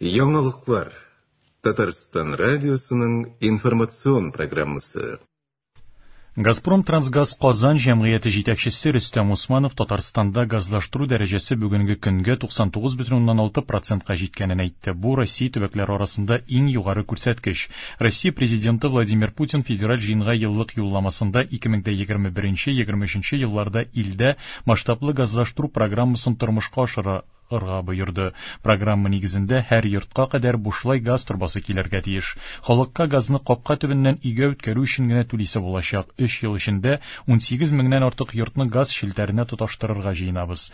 Яңалыклар. Татарстан радиосының информацион программасы. Газпром Трансгаз Казан җәмгыяте җитәкчесе Рөстәм Усманов Татарстанда газлаштыру дәрәҗәсе бүгенге көнгә 99,6 процентка җиткәнен әйтте. Бу Россия төбәкләре арасында иң югары күрсәткеч. Россия Президенты Владимир Путин федераль җыенга еллык юлламасында 2021-2023 елларда илдә масштаблы газлаштыру программасын тормышка ашыра ырга боерды. Программа нигезендә һәр йортка кадәр бушлай газ торбасы килергә тиеш. Халыкка газны капка төбеннән өйгә үткәрү өчен генә түлисе булачак. Өч ел эчендә 18 меңнән артык йортны газ челтәренә тоташтырырга җыенабыз.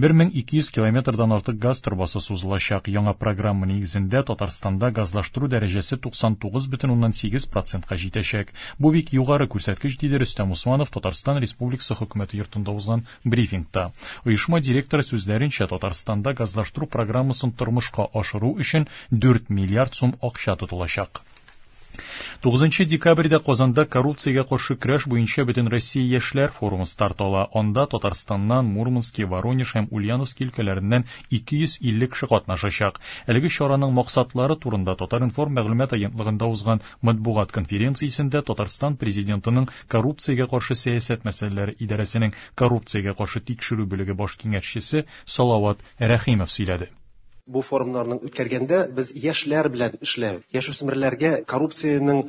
1200 километрдан артык газ торбасы сузылачак. Яңа программа нигезендә Татарстанда газлаштыру дәрәҗәсе 99,8 процентка җитәчәк. Бу бик югары күрсәткеч, диде Рөстәм Усманов Татарстан Республикасы Хөкүмәте йортында узган Брифингта оешма директоры сүзләренчә, Татарстанда газлаштыру программасын тормышка ашыру өчен 4 миллиард сум акча тотылачак. 9 декабрьдә Казанда коррупциягә каршы көрәш буенча Бөтенроссия яшьләр форумы старт ала. Анда Татарстаннан, Мурмански, Воронеж һәм Ульяновски өлкәләреннән 250 кеше катнашачак. Әлеге чараның максатлары турында Татар-информ мәгълүмат агентлыгында узган матбугат конференциясендә Татарстан Президентының коррупциягә каршы сәясәт мәсьәләләре идарәсенең коррупциягә каршы тикшерү бүлеге баш киңәшчесе Салават Рәхимов сөйләде. Бу форумнарның үткәргәндә без яшьләр белән эшләү, яшүсмерләргә коррупциянең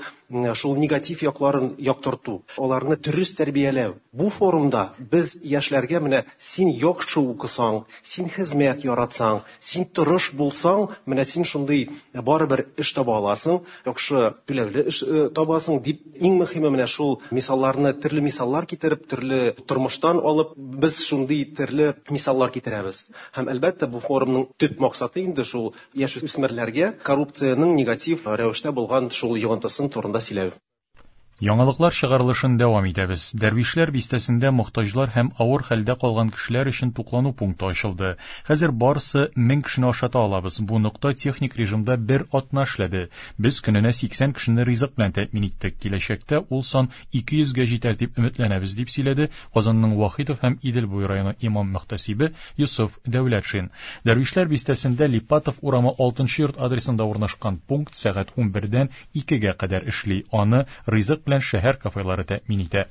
шул негатив якларын яктырту, аларны дөрес тәрбияләү. Бу форумда без яшьләргә менә син яхшы укысаң, син хезмәт яратсаң, син тырыш булсаң, менә син шундый барыбер эш таба аласың, яхшы түләүле эш табасың дип, иң мөһиме менә шул мисалларны, төрле мисаллар китереп, төрле тормыштан алып, без шундый төрле мисаллар китерәбез. Һәм әлбәттә бу форумның төп максаты инде шул яшүсмерләргә коррупциянең негатив рәвештә булган шул йогынтысын турында сөйләү. Яңалыклар чыгарылышын дәвам итәбез. Дәрвишләр бистәсендә мохтаҗлар һәм авыр хәлдә калган кешеләр өчен туклану пункты ачылды. Хәзер барысы 1000 кешене ашата алабыз. Бу нокта техник режимда бер атна эшләде. Без көненә 80 кешене ризык белән тәэмин иттек. Киләчәктә ул сан 200 гә җитәр дип өметләнәбез, дип сөйләде Казанның Вахитов һәм Идел буе районы имам-мөхтәсибе Йосыф Дәүләтшин. Дәрвишләр бистәсендә Липатов урамы 6 нчы йорт адресында урнашкан пункт сәгать 11дән 2гә кадәр эшли. Аны ризык белән шәһәр кафелары тәэмин итә.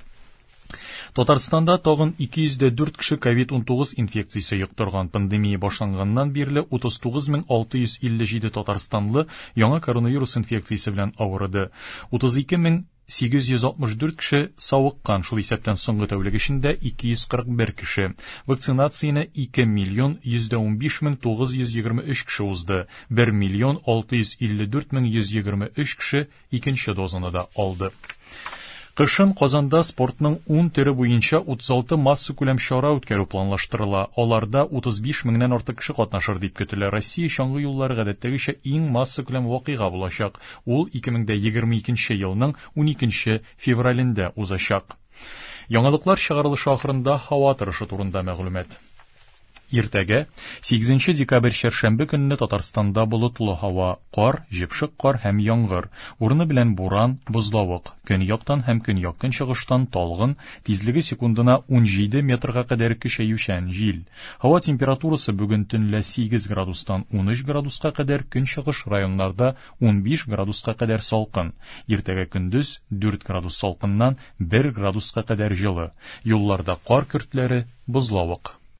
Татарстанда тагын 204 кеше ковид-19 инфекциясе йоктырган. Пандемия башланганнан бирле 39657 татарстанлы яңа коронавирус инфекциясе белән авырыды. 32864 кеше савыккан, шул исәптән соңгы тәүлек эчендә 241 кеше. Вакцинацияне 2 миллион 115 мең 923 кеше узды. 1 миллион 654 мең 123 кеше икенче дозаны да алды. Кышын Казанда спортның 10 төре буенча 36 массакүләм чара үткәрү планлаштырыла. Аларда 35 меңнән артык кеше катнашыр дип көтелә. Россия чаңгы юллары гадәттәгечә иң массакүләм вакыйга булачак. Ул 2022 елның 12 февралендә узачак. Яңалыклар чыгарылышы ахырында һава торышы турында мәгълүмат. Иртәгә, 8 декабрь чәршәмбе көнне Татарстанда болытлы һава, кар, җепшек кар һәм яңгыр, урыны белән буран, бозлавык, көньяктан һәм көньяк-көнчыгыштан талгын, тизлеге секундына 17 метрга кадәр көчәючән җил. Һава температурасы бүген төнлә 8 градустан 13 градуска кадәр, көнчыгыш районнарда 15 градуска кадәр салкын. Иртәгә көндез 4 градус салкыннан 1 градуска кадәр җылы. Юлларда кар көртләре, бозлавык.